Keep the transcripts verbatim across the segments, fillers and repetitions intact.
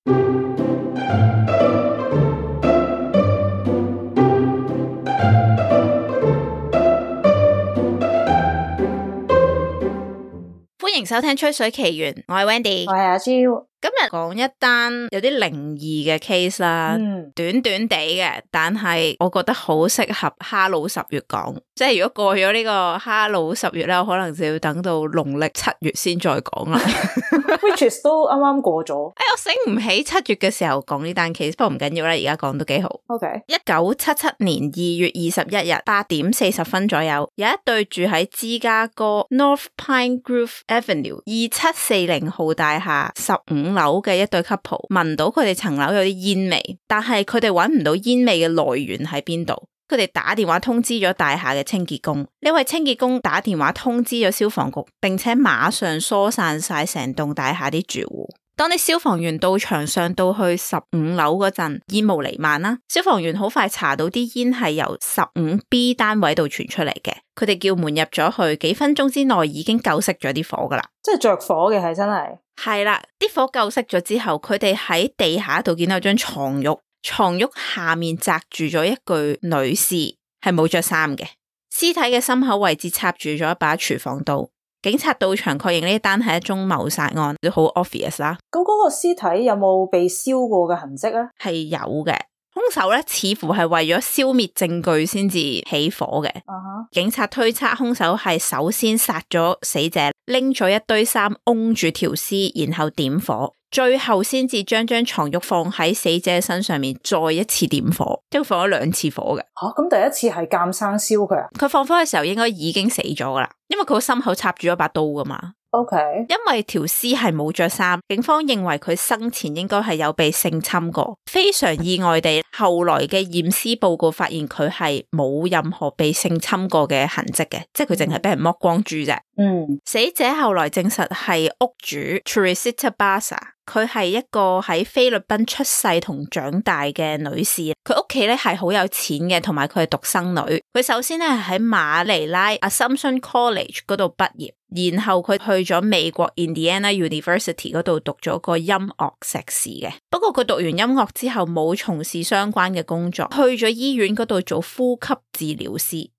歡迎收聽吹水奇緣，我係 Wendy， 我係阿 Jo。今日講一單有啲靈異嘅 case 啦，嗯、短短地嘅，但係我覺得好適合哈佬十月講，即係如果過咗呢個哈佬十月咧，我可能就要等到農曆七月先再講啦。Which is 都啱啱過咗。哎，我醒唔起七月嘅時候講呢單 case， 不過唔緊要啦，而家講都幾好。OK， 一九七七年二月二十一日八點四十分左右，有一對住喺芝加哥 North Pine Grove Avenue 二七四零號大廈十五樓嘅一對 couple 聞到佢哋層樓有啲煙味，但係佢哋揾唔到煙味嘅來源喺邊度。佢哋打電話通知咗大廈嘅清潔工，呢位清潔工打電話通知咗消防局，並且馬上疏散晒成棟大廈啲住戶。當啲消防員到場上到去十五樓嗰陣，煙霧彌漫啦。消防員好快查到啲煙係由十五 B 單位度傳出嚟嘅，佢哋叫門入咗去，幾分鐘之內已經救熄咗啲火噶啦。即係着火嘅係真係。係啦，啲火救熄咗之後，佢哋喺地下度見到張床褥，床褥下面紮住咗一具女士，係冇着衫嘅，屍體嘅心口位置插住咗一把廚房刀。警察到場確認呢單係一宗謀殺案，都好 obvious 啦。咁嗰個屍體有冇被燒過嘅痕跡啊？係有嘅，兇手咧似乎係為咗消滅證據先至起火嘅。Uh-huh. 警察推測兇手係首先殺咗死者，拎咗一堆衫擁住條屍，然後點火，最後先至將張床褥放喺死者身上面，再一次點火，即係放咗兩次火嘅。吓、啊，咁第一次係監生燒佢啊？佢放火嘅時候應該已經死咗噶啦，因為佢個心口插住一把刀噶嘛。OK， 因為條屍係冇着衫，警方認為佢生前應該係有被性侵過。非常意外地，後來嘅驗屍報告發現佢係冇任何被性侵過嘅痕跡嘅，即係佢淨係俾人剝光豬啫。嗯，死者後來證實係屋主 Teresita Basa， 佢係一個喺菲律賓出世同長大嘅女士。佢屋企咧係好有錢嘅，同埋佢係獨生女。佢首先咧係喺馬尼拉 Assumption College 嗰度畢業。然後佢去咗美國 Indiana University 嗰度讀咗個音樂碩士嘅，不過佢讀完音樂之後冇從事相關嘅工作，去咗醫院嗰度做呼吸治療師。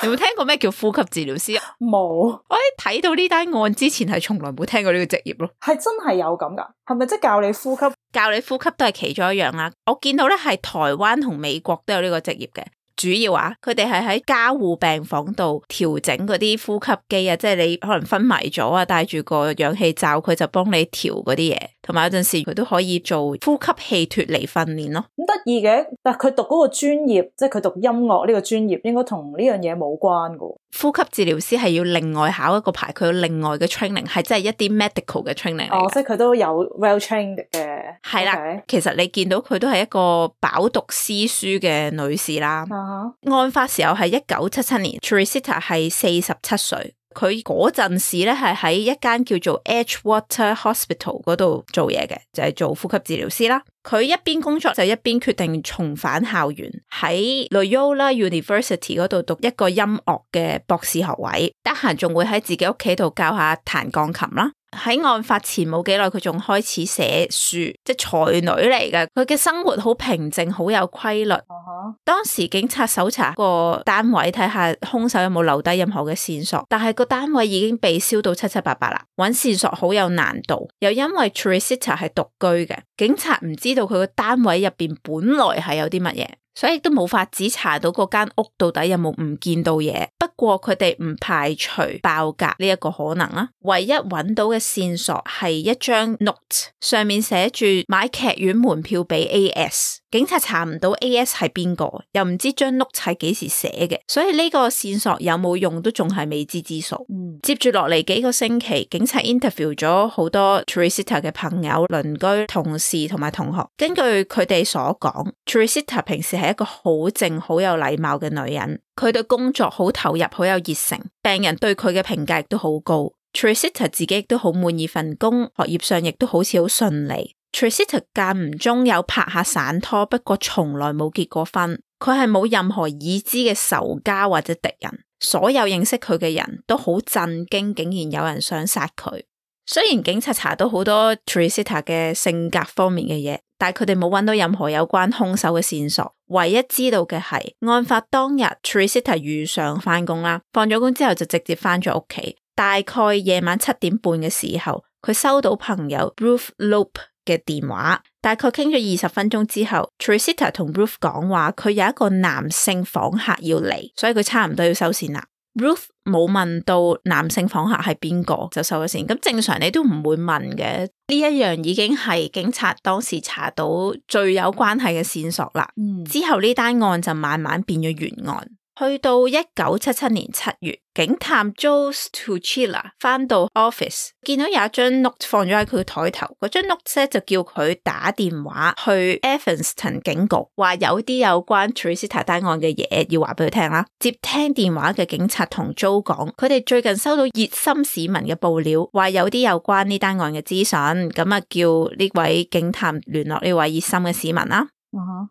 有冇聽過咩叫呼吸治療師啊？冇，我喺睇到呢單案之前係從來冇聽過呢個職業咯。係真係有咁噶？係咪即係教你呼吸？教你呼吸都係其中一樣啦。我見到咧係台灣同美國都有呢個職業嘅。主要啊，佢哋係喺加護病房度調整嗰啲呼吸機啊，即係你可能昏迷咗啊，戴住個氧氣罩，佢就幫你調嗰啲嘢，同埋有陣時佢都可以做呼吸器脫離訓練咯。咁得意嘅，但係佢讀嗰個專業，即係佢讀音樂呢個專業，應該同呢樣嘢冇關噶。呼吸治療師係要另外考一個牌，佢有另外嘅 training， 係真係一啲 medical 嘅 training 嚟嘅。哦，即係佢都有 well trained 嘅。係啦，okay. 其實你見到佢都係一個飽讀詩書嘅女士啦。Uh-huh. 案發時候係一九七七年 Teresita 係四十七歲，佢嗰陣時咧係喺一間叫做 Edgewater Hospital 嗰度做嘢嘅，就係、是、做呼吸治療師啦。佢一邊工作就一邊決定重返校園，喺 Loyola University 嗰度讀一個音樂嘅博士學位，得閒仲會喺自己屋企度教下彈鋼琴啦。喺案發前冇幾耐，佢仲開始寫書，即係才女嚟嘅。佢嘅生活好平靜，好有規律。Uh-huh. 當時警察搜查個單位，睇下兇手有冇留低任何嘅線索，但係個單位已經被燒到七七八八啦，揾線索好有難度。又因為 Teresita 係獨居嘅，警察唔知道佢個單位入邊本來係有啲乜嘢，所以都冇法子查到嗰間屋到底有冇唔見到嘢。不過佢哋唔排除爆格呢一個可能啦。唯一揾到嘅線索係一張 note， 上面寫住買劇院門票俾 A S。警察查唔到 A S 係邊個，又唔知張 note 係幾時寫嘅，所以呢個線索有冇用都仲係未知之數。嗯、接住落嚟幾個星期，警察 interview 咗好多 Teresita 嘅朋友、鄰居、同事同埋同學。根據佢哋所講， Teresita 平時係一個好靜、好有禮貌嘅女人，佢對工作好投入、好有熱誠，病人對佢嘅評價亦都好高。Teresita 自己亦都好滿意份工，學業上亦都好似好順利。Teresita 間唔中有拍下散拖，不過從來冇結過婚。佢係冇任何已知嘅仇家或者敵人，所有認識佢嘅人都好震驚，竟然有人想殺佢。雖然警察查到好多 Tricita 嘅性格方面嘅嘢，但係佢哋冇揾到任何有關兇手嘅線索。唯一知道嘅係案發當日 Tricita 如常翻工啦，放咗工之後就直接翻咗屋企。大概夜晚七點半嘅時候，佢收到朋友 Ruth Lope 嘅電話，大概傾咗二十分鐘之後 Tricita 同 Ruth 講話佢有一個男性訪客要嚟，所以佢差唔多要收線啦。Ruth 冇問到男性訪客係邊個就收咗線，咁正常你都唔會問嘅，呢一樣已經係警察當時查到最有關係嘅線索啦。嗯，之後呢單案就慢慢變咗懸案。去到一九七七年七月，警探 Joe Tuchila 翻到 office， 見到有一張 note 放咗喺佢台頭，嗰張 note 咧就叫佢打電話去 Evanston 警局，話有啲有關 Tricita 單案嘅嘢要話俾佢聽啦。接聽電話嘅警察同 Joe 講，佢哋最近收到熱心市民嘅報料，話有啲有關呢單案嘅資訊，咁啊叫呢位警探聯絡呢位熱心嘅市民啦。Uh-huh.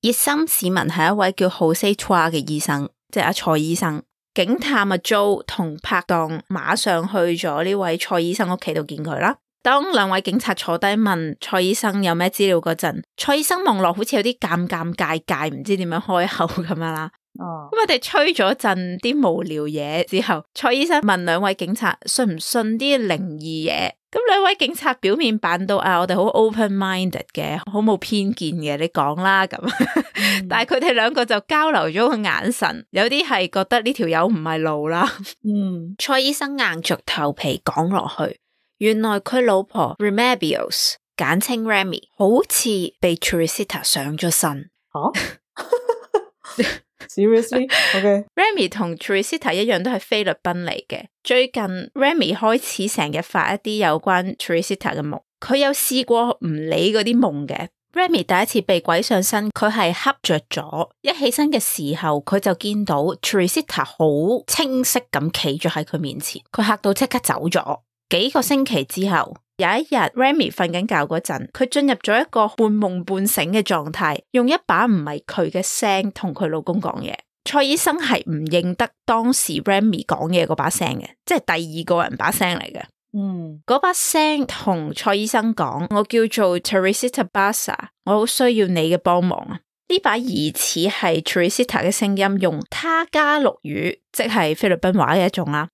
熱心市民係一位叫 Jose Tua 嘅醫生，即係阿蔡醫生。警探阿 Joe 同拍檔馬上去咗呢位蔡醫生屋企度見佢啦。當兩位警察坐低問蔡醫生有咩資料嗰陣，蔡醫生望落好似有啲尷尷尬尬，唔知點樣開口咁樣啦。哦，咁我哋吹咗陣啲無聊嘢之後，蔡醫生問兩位警察信唔信啲靈異嘢。咁兩位警察表面扮到啊，我哋好 open-minded 嘅，好冇偏見嘅，你講啦咁。嗯、但係佢哋兩個就交流咗個眼神，有啲係覺得呢條友唔係路啦。嗯，蔡醫生硬着頭皮講落去，原來佢老婆 Remedios 簡稱 Remy 好似被 Tricita 上咗身。吓？Seriously? Okay. Remy 同 Tricita 一樣都係菲律賓嚟嘅。最近 Remy 開始成日發一啲有關 Tricita 嘅夢，佢有試過唔理嗰啲夢嘅。Remy 第一次被鬼上身，佢係瞌着咗，一起身嘅時候佢就見到 Tricita 好清晰咁企咗喺佢面前，佢嚇到即刻走咗。幾個星期之後，有一日 Remy 瞓緊覺嗰陣，佢進入咗一個半夢半醒嘅狀態，用一把唔係佢嘅聲同佢老公講嘢。蔡醫生係唔認得當時 Remy 講嘢嗰把聲嘅，即係第二個人把聲嚟嘅。嗯，嗰把聲同蔡醫生講，我叫做 Tricita Basa， 我好需要你嘅幫忙啊！呢把疑似係 Tricita 嘅聲音，用他加祿語，即係菲律賓話嘅一種啦，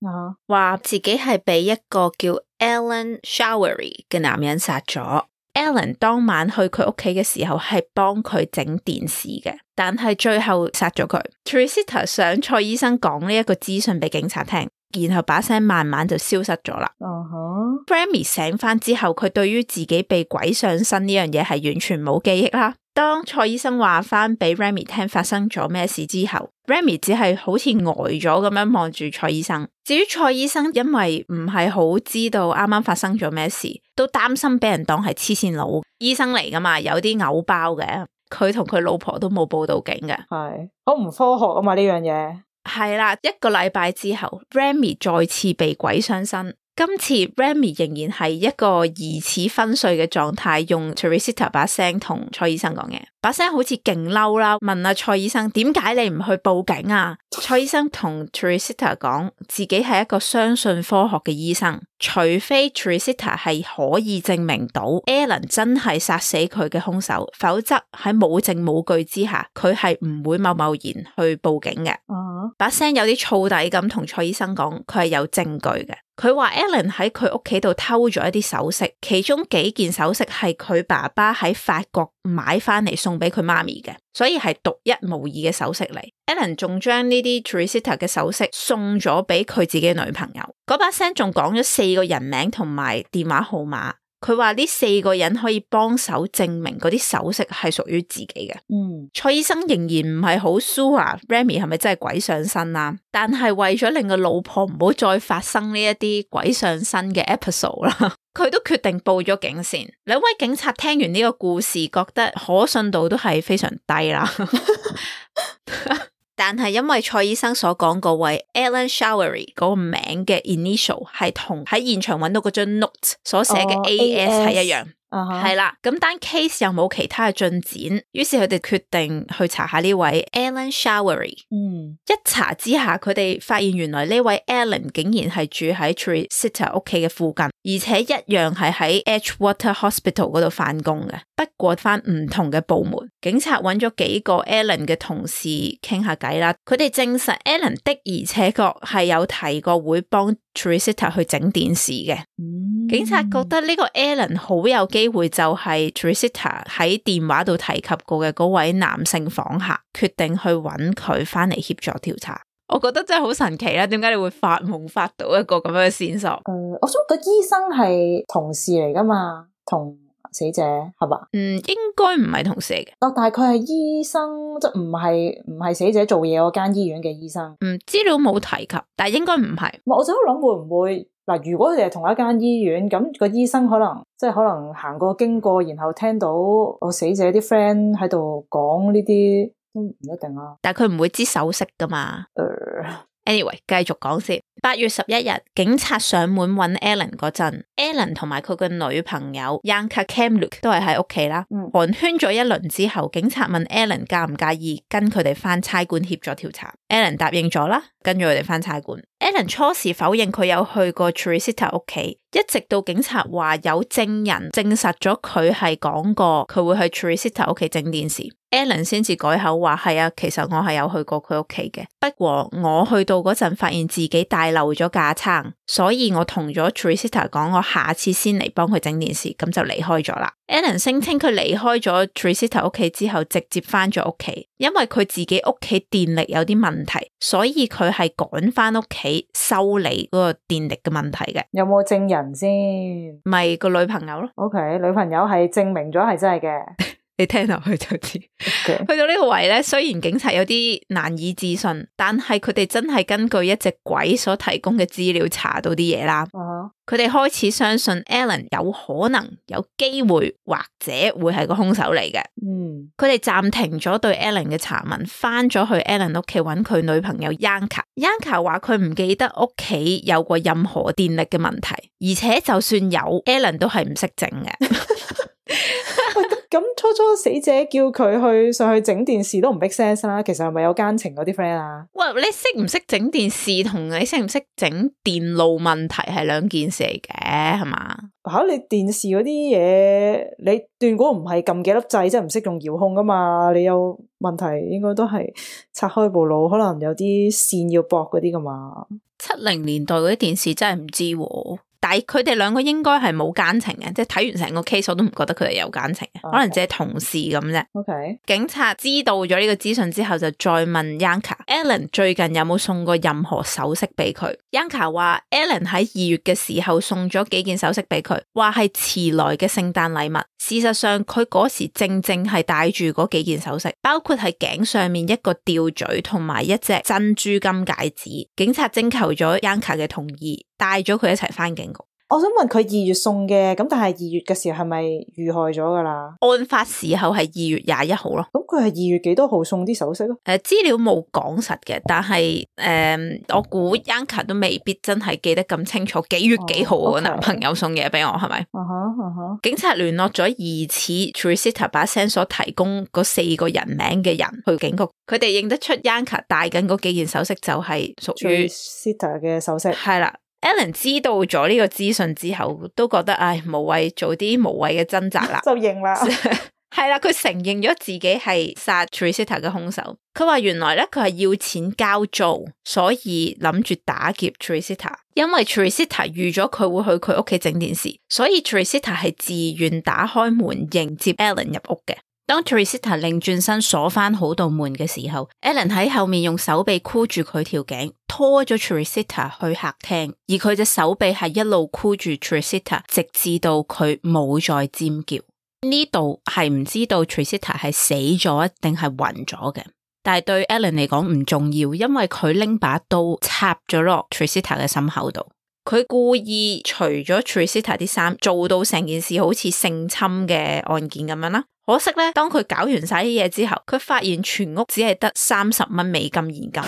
話、uh-huh. 自己係被一個叫 Alan Showery 嘅男人殺咗。Alan 當晚去佢屋企嘅時候係幫佢整電視嘅，但係最後殺咗佢。Tricita 想蔡醫生講呢一個資訊俾警察聽，然後把聲慢慢就消失咗啦。Uh-huh. Remy 醒翻之後，佢對於自己被鬼上身呢樣嘢係完全冇記憶啦。當蔡醫生話翻俾 Remy 聽發生咗咩事之後， Remy 只係好似呆咗咁樣望住蔡醫生。至於蔡醫生因為唔係好知道啱啱發生咗咩事，都擔心俾人當係黐線佬，醫生嚟噶嘛，有啲偶包嘅，佢同佢老婆都冇報到警嘅。係好唔科學啊嘛呢樣嘢。係啦，一個禮拜之後 Remy 再次被鬼上身。今次 Remy 仍然係一個疑似昏睡嘅狀態，用 Tricita 把聲同蔡醫生講嘢，把聲好似勁嬲啦，問阿蔡醫生點解你唔去報警啊？蔡醫生同 Tricita 講自己係一個相信科學嘅醫生，除非 Tricita 係可以證明到 Alan 真係殺死佢嘅兇手，否則喺冇證冇據之下，佢係唔會貿貿然去報警嘅。Uh-huh. 把聲有啲燥底咁同蔡醫生講，佢係有證據嘅。佢話 Alan 喺佢屋企度偷咗一啲首飾，其中幾件首飾係佢爸爸喺法國買翻嚟送俾佢媽咪嘅，所以係獨一無二嘅首飾嚟。Alan 仲將呢啲 Tricita 嘅首飾送咗俾佢自己女朋友。嗰把聲仲講咗四個人名同埋電話號碼。佢話呢四個人可以幫手證明嗰啲首飾係屬於自己嘅。嗯，蔡醫生仍然唔係好 sure Remy 係咪真係鬼上身啊？但係為咗令個老婆唔好再發生呢一啲鬼上身嘅 episode 啦，佢都決定報咗警先。兩位警察聽完呢個故事，覺得可信度都係非常低啦。但係因為蔡醫生所講嗰位 Alan Showery 嗰個名嘅 initial 係同喺現場揾到嗰張 note 所寫嘅 A S 係一樣，係啦，咁單 case 又冇其他嘅進展，於是佢哋決定去查下呢位 Alan Showery。嗯，一查之下，佢哋發現原來呢位 Alan 竟然係住喺 Tricita 屋企嘅附近，而且一樣係喺 Edgewater Hospital 嗰度返工嘅，不過返唔同嘅部門。警察揾咗幾個 Alan 嘅同事傾下偈啦，佢哋證實 Alan 的而且確係有提過會幫 Tricita 去整電視嘅。嗯，警察覺得呢個 Alan 好有機會就係 Tricita 喺電話度提及過嘅嗰位男性訪客，決定去揾佢翻嚟協助調查。我覺得真係好神奇啦，點解你會發夢發到一個咁樣嘅線索？誒、呃，我想個醫生係同事嚟噶嘛，同死者係嘛？嗯，應該唔係同事嚟嘅。哦，但係佢係醫生，即係唔係唔係死者做嘢嗰間醫院嘅醫生。嗯，資料冇提及，但係應該唔係。我就喺度諗會唔會嗱，如果佢哋係同一間醫院，咁個醫生可能即係可能行過經過，然後聽到我死者啲 friend 喺度講呢啲，都唔一定啊。但係佢唔會知手勢噶嘛。呃 Anyway，繼續講先。八月十一日，警察上門揾 Alan 嗰陣 ，Alan 同埋佢嘅女朋友 Yanka Kamluk 都係喺屋企啦。嗯，寒暄咗一輪之後，警察問 Alan 介唔介意跟佢哋翻差館協助調查。Alan 答應咗啦，跟住佢哋翻差館。Alan 初時否認佢有去過 Tricita 屋企，一直到警察話有證人證實咗佢係講過佢會去 Tricita 屋企整電視。Alan 先至改口話係啊，其實我係有去過佢屋企嘅，不過我去到嗰陣發現自己帶漏咗架撐，所以我同咗 Tricita 講我下次先嚟幫佢整電視，咁就離開咗啦。Alan 聲稱佢離開咗 Tricita 屋企之後直接翻咗屋企，因為佢自己屋企電力有啲問題，所以佢係趕翻屋企修理嗰個電力嘅問題嘅。有冇證人先？咪個女朋友咯。OK， 女朋友係證明咗係真係嘅。你聽落去就知。Okay. 去到呢個位咧，雖然警察有啲難以置信，但係佢哋真係根據一隻鬼所提供嘅資料查到啲嘢啦。佢哋、uh huh. 開始相信 Alan 有可能、有機會或者會係個兇手嚟嘅。嗯，佢哋暫停咗對 Alan 嘅查問，翻咗去 Alan 屋企揾佢女朋友 Yanka。Yanka 話佢唔記得屋企有過任何電力嘅問題，而且就算有 ，Alan 都係唔識整嘅。咁初初死者叫佢去上去整電視都唔 make sense 啦，其實係咪有奸情嗰啲 friend 啊？喂，你識唔識整電視同你識唔識整電路問題係兩件事嚟嘅，係嘛？吓，你電視嗰啲嘢，你斷估唔係撳幾粒掣，即係唔識用遙控噶嘛？你有問題應該都係拆開部腦，可能有啲線要駁嗰啲噶嘛？七零年代嗰啲電視真係唔知喎。但係佢哋兩個應該係冇奸情嘅，即係睇完成個 case 我都唔覺得佢哋有奸情嘅， Okay. 可能只係同事咁啫。OK， 警察知道咗呢個資訊之後，就再問 Yanka，Alan 最近有冇送過任何首飾俾佢 ？Yanka 話 Alan 喺二月嘅時候送咗幾件首飾俾佢，話係遲來嘅聖誕禮物。事實上，佢嗰時正正係戴住嗰幾件首飾，包括係頸上面一個吊墜同埋一隻珍珠金戒指。警察徵求咗 Yanka 嘅同意，帶咗佢一齊翻警局。我想問佢二月送嘅，咁但係二月嘅時候係咪遇害咗噶啦？案發時候係二月廿一號咯。咁佢係二月幾多號送啲首飾咯？誒、呃，資料冇講實嘅，但係誒、呃，我估 Yanka 都未必真係記得咁清楚幾月幾號我男朋友送嘢俾我係咪？啊哈啊哈！警察聯絡咗疑似 Tricita 把聲所提供嗰四個人名嘅人去警局，佢哋認得出 Yanka 戴緊嗰幾件首飾就係屬於 Tricita 嘅首飾。係啦。Alan 知道咗呢個資訊之後，都覺得唉無謂做啲無謂嘅掙扎啦，就認啦，係啦，佢承認咗自己係殺 Tricita 嘅兇手。佢話原來咧佢係要錢交租，所以諗住打劫 Tricita。因為 Tricita 預咗佢會去佢屋企整電視，所以 Tricita 係自願打開門迎接 Alan 入屋嘅。當 Tricita 擰轉身鎖翻好道門嘅時候 ，Alan 喺後面用手臂箍住佢條頸，拖咗 Tricita 去客廳，而佢隻手臂係一路箍住 Tricita， 直至到佢冇再尖叫。呢度係唔知道 Tricita 係死咗定係暈咗嘅，但係對 Alan 嚟講唔重要，因為佢拎把刀插咗落 Tricita 嘅心口度。佢故意除咗 Tricita 啲衫，做到成件事好似性侵嘅案件咁樣啦。可惜咧，當佢搞完晒啲嘢之後，佢發現全屋只係得三十蚊美金現金。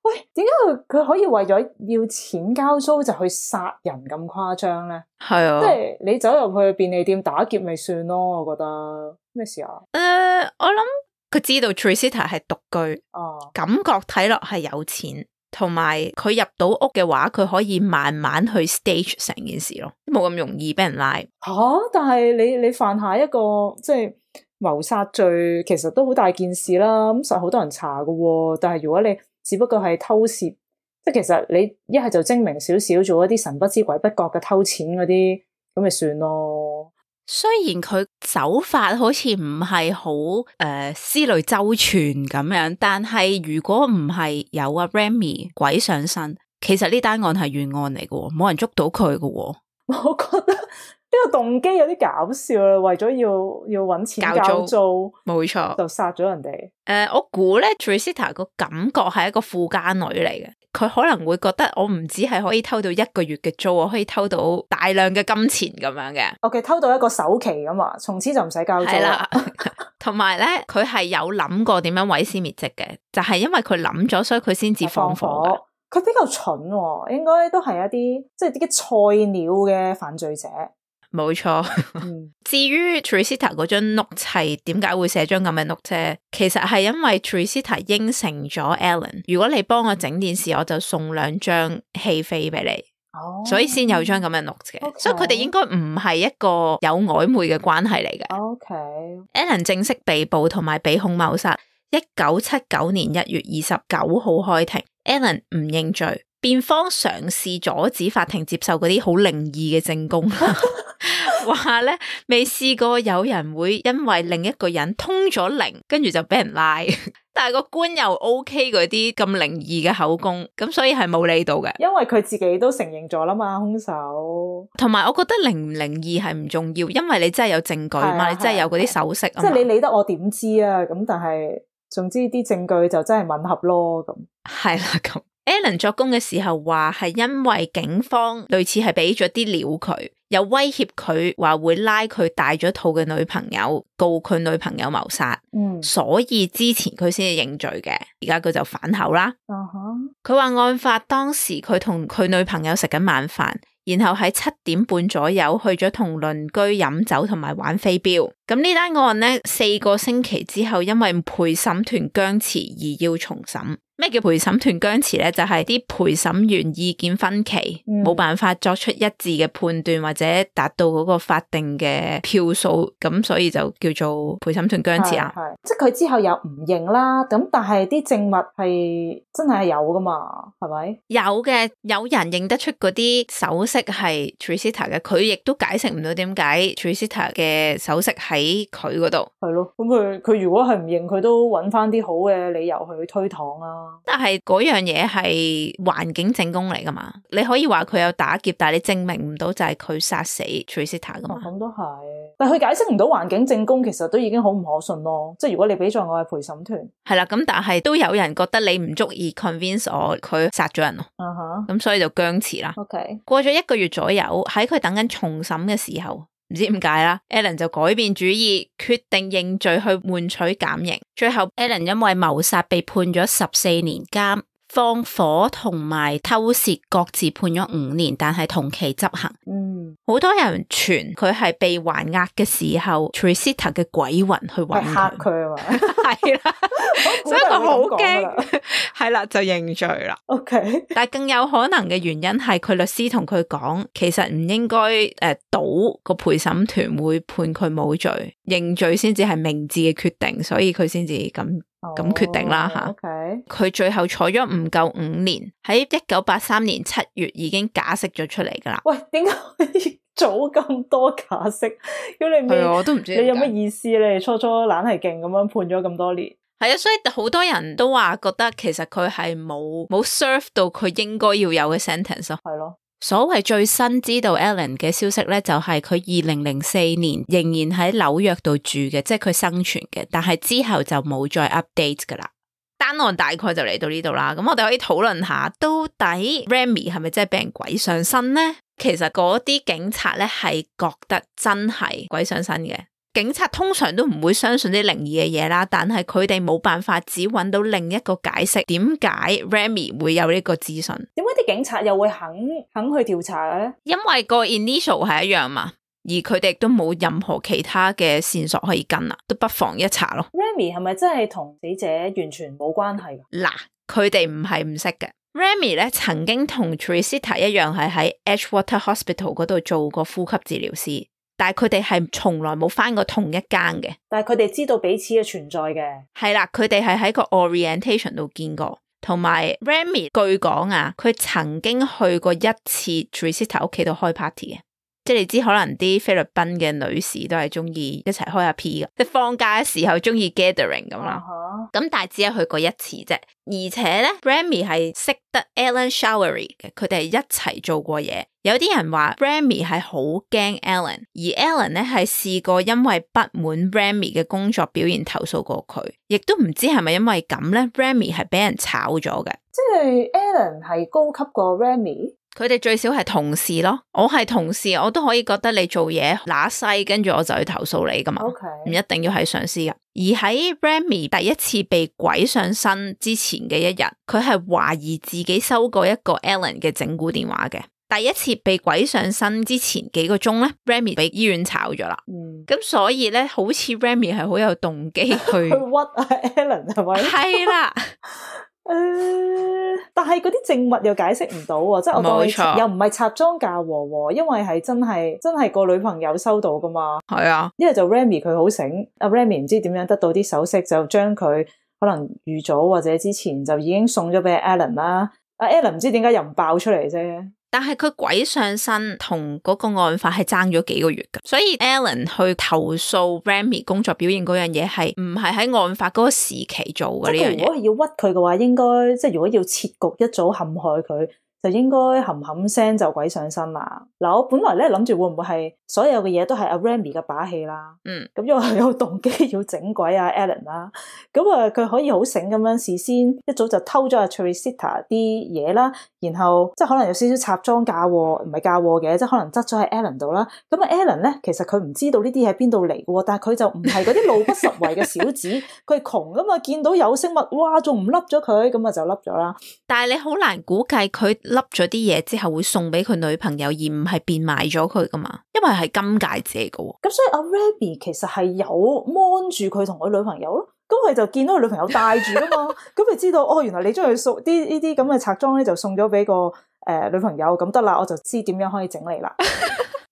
喂，點解佢佢可以為咗要錢交租就去殺人咁誇張咧？係啊，即係你走入去便利店打劫咪算咯？我覺得咩事啊？誒、呃，我諗佢知道 Tricita 係獨居，哦，感覺睇落係有錢。同埋佢入到屋嘅話，佢可以慢慢去 stage 成件事咯，冇咁容易俾人拉。吓、啊，但係你你犯下一個即係謀殺罪，其實都好大件事啦。咁實好多人查噶，但係如果你只不過係偷竊，即係其實你一係就精明少少，做一啲神不知鬼不覺嘅偷錢嗰啲，咁咪算咯。雖然佢手法好似唔係好誒思慮周全咁樣，但係如果唔係有阿 Remy 鬼上身，其實呢單案係懸案嚟嘅，冇人捉到佢嘅。我覺得呢個動機有啲搞笑啦，為咗要要搵錢交租，冇錯，就殺咗人哋。誒、呃，我估咧 Tricita 個感覺係一個富家女嚟嘅，佢可能會覺得我唔止係可以偷到一個月嘅租，我可以偷到大量嘅金錢咁樣嘅。OK， 偷到一個首期咁嘛，從此就唔使交租啦。同埋咧，佢係有諗過點樣毀屍滅跡嘅，就係、是、因為佢諗咗，所以佢先至放火。佢比較蠢、喎，應該都係一啲即係啲菜鳥嘅犯罪者。冇錯。嗯、至於 Tricita 嗰張 note 係點解會寫張咁嘅 note 啫？其實係因為 Tricita 應承咗 Alan， 如果你幫我整電視，我就送兩張戲飛俾你。哦，所以先有張咁嘅 note 嘅。Okay. 所以佢哋應該唔係一個有曖昧嘅關係嚟嘅。OK，Alan 正式被捕同埋被控謀殺。一九七九年一月二十九號開庭 ，Alan 唔認罪，辯方嘗試阻止法庭接受嗰啲好靈異嘅證供。話咧未試過有人會因為另一個人通咗靈，跟住就俾人拉，但係個官又 OK 嗰啲咁靈異嘅口供，咁所以係冇理到嘅。因為佢自己都承認咗啦嘛，兇手。同埋我覺得靈唔靈異係唔重要，因為你真係有證據嘛，啊、你真係有嗰啲首飾啊嘛。即係你理得我點知啊？咁但係總之啲證據就真係吻合咯。咁係啦，咁 Alan 作供嘅時候話係因為警方類似係俾咗啲料佢。有威脅佢話會拉佢大咗肚嘅女朋友告佢女朋友謀殺，嗯，所以之前佢先至認罪嘅，而家佢就反口啦。佢話、uh huh. 案發當時佢同佢女朋友食緊晚飯，然後喺七點半左右去咗同鄰居飲酒同埋玩飛鏢。咁呢單案呢，四個星期之後因為陪審團僵持而要重審。咩叫陪審團僵持咧？就係、是、啲陪審員意見分歧，冇、嗯、辦法作出一致嘅判斷或者達到嗰個法定嘅票數，咁所以就叫做陪審團僵持啊。係，即係佢之後又唔認啦，咁但係啲證物係真係有噶嘛？係咪？有嘅，有人認得出嗰啲首飾係 Tricita 嘅，佢亦都解釋唔到點解 Tricita 嘅首飾喺佢嗰度。係咯，咁佢佢如果係唔認，佢都揾翻啲好嘅理由去推搪啊。但係嗰樣嘢係環境證供嚟噶嘛？你可以話佢有打劫，但係你證明唔到就係佢殺死 Tricita 噶嘛？咁都係，但係佢解釋唔到環境證供，其實都已經好唔可信咯。即係如果你俾咗我係陪審團，係啦，咁但係都有人覺得你唔足以 convince 我佢殺咗人咯。嗯哼，咁所以就僵持啦。OK， 過咗一個月左右，喺佢等緊重審嘅時候。唔知點解啦 Alan 就改變主意，決定認罪去換取減刑。最後 Alan 因為謀殺被判咗十四年監，放火同埋偷竊各自判咗五年，但係同期執行。嗯，好多人傳佢係被還押嘅時候 Tricita 嘅鬼魂去揾佢，嚇佢啊嘛，係啦，所以佢好驚，係啦就認罪啦。OK， 但係更有可能嘅原因係佢律師同佢講，其實唔應該誒賭個陪審團會判佢冇罪，認罪先至係明智嘅決定，所以佢先至咁。咁、oh, 決定啦吓，佢 okay. 最後坐咗唔夠五年，喺一九八三年七月已經假釋咗出嚟噶啦。喂，點解可以早咁多假釋？咁你係我都唔知你有乜意思咧？初初懶係勁咁樣判咗咁多年，係啊，所以好多人都話覺得其實佢係冇冇 serve 到佢應該要有嘅 sentence 咯。係咯。所謂最新知道 Alan 嘅消息咧，就係佢二零零四年仍然喺紐約度住嘅，即係佢生存嘅，但係之後就冇再 update 噶啦。但單案大概就嚟到呢度啦。咁我哋可以討論下，到底 Remy 係咪真係俾人鬼上身呢？其實嗰啲警察咧係覺得真係鬼上身嘅。警察通常都唔會相信啲靈異嘅嘢啦，但係佢哋冇辦法只揾到另一個解釋，點解 Remy 會有呢個資訊？點解啲警察又會肯肯去調查嘅咧？因為個 initial 係一樣嘛，而佢哋都冇任何其他嘅線索可以跟啦，都不妨一查咯。Remy 係咪真係同死者完全冇關係？嗱，佢哋唔係唔識嘅。Remy 咧曾經同 Teresita 一樣係喺 Edgewater Hospital 嗰度做過呼吸治療師，但係佢哋係從來冇返過同一間嘅。但係佢哋知道彼此嘅存在嘅。係啦，佢哋係喺個 orientation 度見過，同埋 Remy 據講啊，佢曾經去過一次 Teresita 屋企度開 party 嘅。即係你知可能啲菲律賓嘅女士都係中意一齊開下 P 嘅，即係放假嘅時候中意 gathering 咁啦。咁、uh huh. 但係只係去過一次啫，而且咧 Remy 係識得 Alan Showery 嘅，佢哋係一齊做過嘢。有啲人話 Remy 係好驚 Alan， 而 Alan 咧係試過因為不滿 Remy 嘅工作表現投訴過佢，亦都唔知係咪因為咁咧 Remy 係俾人炒咗嘅。即係 Alan 係高級過 Remy。佢哋最少係同事咯，我係同事，我都可以覺得你做嘢乸西，跟住我就去投訴你噶嘛，唔 Okay. 一定要係上司噶。而喺 Remy 第一次被鬼上身之前嘅一日，佢係懷疑自己收過一個 Alan 嘅整蠱電話嘅。第一次被鬼上身之前幾個鐘咧 ，Remy 俾醫院炒咗啦。咁、嗯、所以咧，好似 Remy 係好有動機去去屈啊 Alan 係咪？係啦。誒、呃，但係嗰啲證物又解釋唔到喎，即係我當你錯又唔係插贓嫁禍喎，因為係真係真係個女朋友收到噶嘛。係啊，因為就 Remy 佢好醒，阿 Remy 唔知點樣得到啲首飾，就將佢可能預早或者之前就已經送咗俾 Alan 啦。阿 Alan 唔知點解又唔爆出嚟啫。但係佢鬼上身同嗰個案發係爭咗幾個月噶，所以 Alan 去投訴 Remy 工作表現嗰樣嘢係唔係喺案發嗰個時期做嘅呢樣嘢。如果係要屈佢嘅話，應該即係如果要設局一早陷害佢，就應該冚冚聲就鬼上身啦。嗱，我本來咧諗住會唔會係所有嘅嘢都係阿 Remy 嘅把戲啦，嗯，咁因為佢有動機要整鬼阿 Alan 啦，咁啊佢可以好醒咁樣事先一早就偷咗阿 Teresita 啲嘢啦，然後即係可能有少少插贓嫁禍，唔係嫁禍嘅，即係可能執咗喺 Alan 度啦。咁啊 Alan 咧，其實佢唔知道呢啲喺邊度嚟嘅，但係佢就唔係嗰啲路不拾遺嘅小子，佢係窮噶嘛，見到有飾物，哇，仲唔笠咗佢，咁啊就笠咗啦。但係你好難估計佢笠咗啲嘢之後會送俾佢女朋友，而唔係變賣咗佢噶嘛，因為係金戒指嚟嘅。咁所以阿 Remy 其實係有 mon 住佢同佢女朋友咯，咁佢就見到佢女朋友戴住啊嘛，咁佢知道哦，原來你將佢送啲呢啲咁嘅拆裝咧，就送咗俾個誒、呃、女朋友，咁得啦，我就知點樣可以整你啦。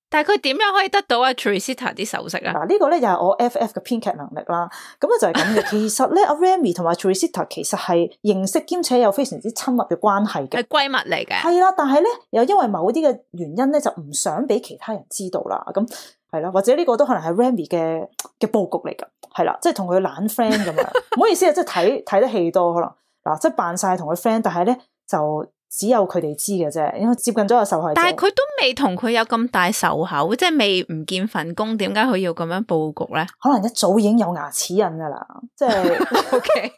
但係佢點樣可以得到阿 Teresita 啲首飾啊？嗱，呢個咧又係我 F F 嘅編劇能力啦。咁咧就係咁嘅。其實咧，阿 Remy 同埋 Teresita 其實係認識兼且有非常之親密嘅關係嘅，係閨蜜嚟嘅。係啦，但係咧又因為某啲嘅原因咧，就唔想俾其他人知道啦。咁係啦，或者呢個都可能係 Remy 嘅嘅佈局嚟噶。係啦，即係同佢懶 friend 咁樣。唔好意思啊，即係睇睇得戲多可能嗱，即係扮晒同佢 friend，但係咧就。只有佢哋知嘅啫，因為接近咗個受害者。但係佢都未同佢有咁大仇口，即係未唔見份工，點解佢要咁樣佈局咧？可能一早已經有牙齒印噶啦，即係 OK。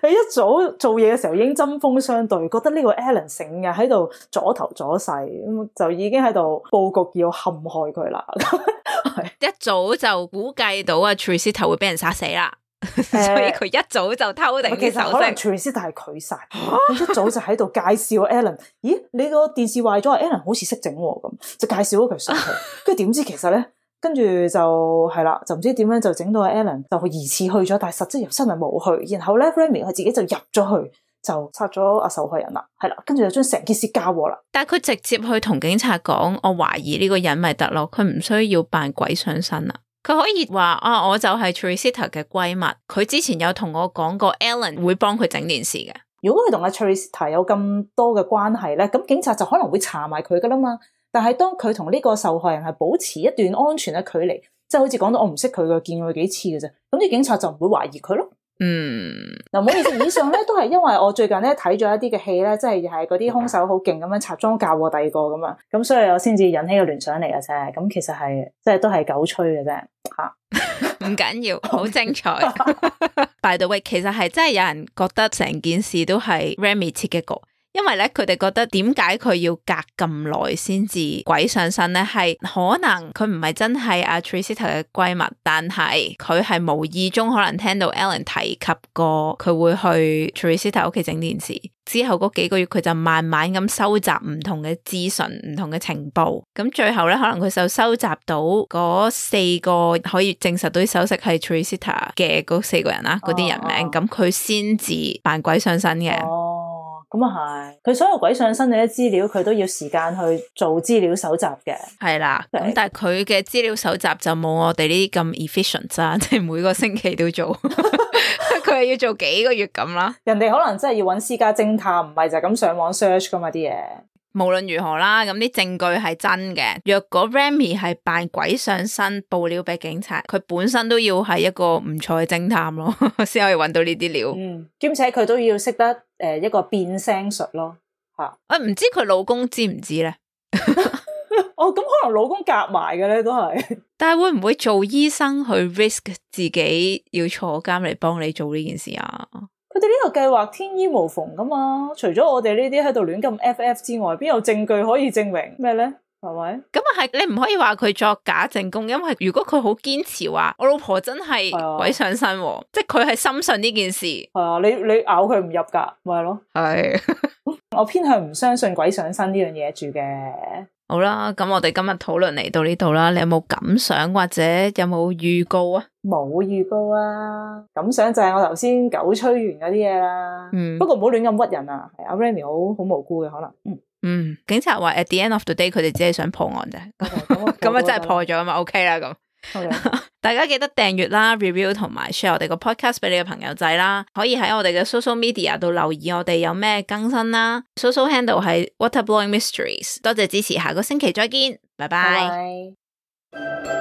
你一早做嘢嘅時候已經針鋒相對，覺得呢個 Alan 成日喺度阻頭阻勢，咁就已經喺度佈局要陷害佢啦。一早就估計到啊 Teresita 會俾人殺死啦。所以佢一早就偷定啲首飾。其實可能 Teresita係佢殺，佢一早就喺度介紹 Alan。咦，你個電視壞咗，Alan 好似識整咁，就介紹咗佢上去。跟住點知其實咧，跟住就係啦，就唔知點樣就整到 Alan 就疑似去咗，但係實質又真係冇去。然後咧 Remy 佢自己就入咗去，就殺咗阿受害人啦。係啦，跟住就將成件事交禍啦。但係佢直接去同警察講，我懷疑呢個人咪得咯，佢唔需要扮鬼上身啦。佢可以話啊，我就係 Teresita 嘅閨蜜，佢之前有同我講過 Alan 會幫佢整件事嘅。如果佢同阿 Teresita 有咁多嘅關係咧，咁警察就可能會查埋佢噶啦嘛。但係當佢同呢個受害人係保持一段安全嘅距離，即係好似講到我唔識佢嘅，見過佢幾次嘅啫，咁啲警察就唔會懷疑佢咯。嗯，嗱，唔好意思，以上咧都係因為我最近咧睇咗一啲嘅戲咧，即係係嗰啲兇手好勁咁樣插贓嫁禍第二個咁啊，咁所以我先至引起個聯想嚟嘅啫。咁其實係即係都係狗吹嘅啫，吓，唔唔緊要，好精彩。By the way， 其實係真係有人覺得成件事都係 Remy 設計過。因為咧，佢哋覺得點解佢要隔咁耐先至鬼上身咧？係可能佢唔係真係阿 Tricita 嘅閨蜜，但係佢係無意中可能聽到 Ellen 提及過佢會去 Tricita 屋企整電視，之後嗰幾個月佢就慢慢咁收集唔同嘅資訊、唔同嘅情報，咁最後咧可能佢就收集到嗰四個可以證實到啲首飾係 Tricita 嘅嗰四個人啦，嗰啲人名，咁佢先至扮鬼上身嘅。哦咁啊係，佢所有鬼上身嘅啲資料，佢都要時間去做資料搜集嘅。係啦，咁但係佢嘅資料搜集就冇我哋呢啲咁 efficient 啦，即係每個星期都做，佢係要做幾個月咁啦。人哋可能真係要揾私家偵探，唔係就咁上網 search 噶嘛啲嘢。無論如何啦，咁啲證據係真嘅。若果 Remy 係扮鬼上身報料俾警察，佢本身都要係一個唔錯嘅偵探咯，先可以揾到呢啲料。嗯，兼且佢都要識得誒、呃、一個變聲術咯，吓。啊，唔知佢老公知唔知咧？哦，咁可能老公夾埋嘅咧，都係。但係會唔會做醫生去 risk 自己要坐監嚟幫你做呢件事啊？佢哋呢個計劃天衣無縫噶嘛，除咗我哋呢啲喺度亂咁 F F 之外，邊有證據可以證明咩咧？係咪？咁啊係，你唔可以話佢作假證供，因為如果佢好堅持話我老婆真係鬼上身，啊、即係佢係深信呢件事。係啊，你你咬佢唔入噶，咪係咯？係，我偏向唔相信鬼上身呢樣嘢住嘅。好啦，咁我哋今日討論嚟到呢度啦，你有冇感想或者有冇預告啊？冇預告啊，感想就係我頭先狗吹完嗰啲嘢啦。嗯，不過唔好亂咁屈人啊。係阿 Remy 好好無辜嘅可能。嗯嗯，警察話 at the end of the day 佢哋只係想破案啫。咁啊真係破咗啊嘛 ，OK 啦咁。Okay. 大家記得訂閱啦、review 同埋 share 我哋個 podcast 俾你嘅朋友仔啦，可以喺我哋嘅 social media 度留意我哋有咩更新啦。social handle 係 Waterblowing Mysteries。多謝支持，下個星期再見，拜拜。Bye bye.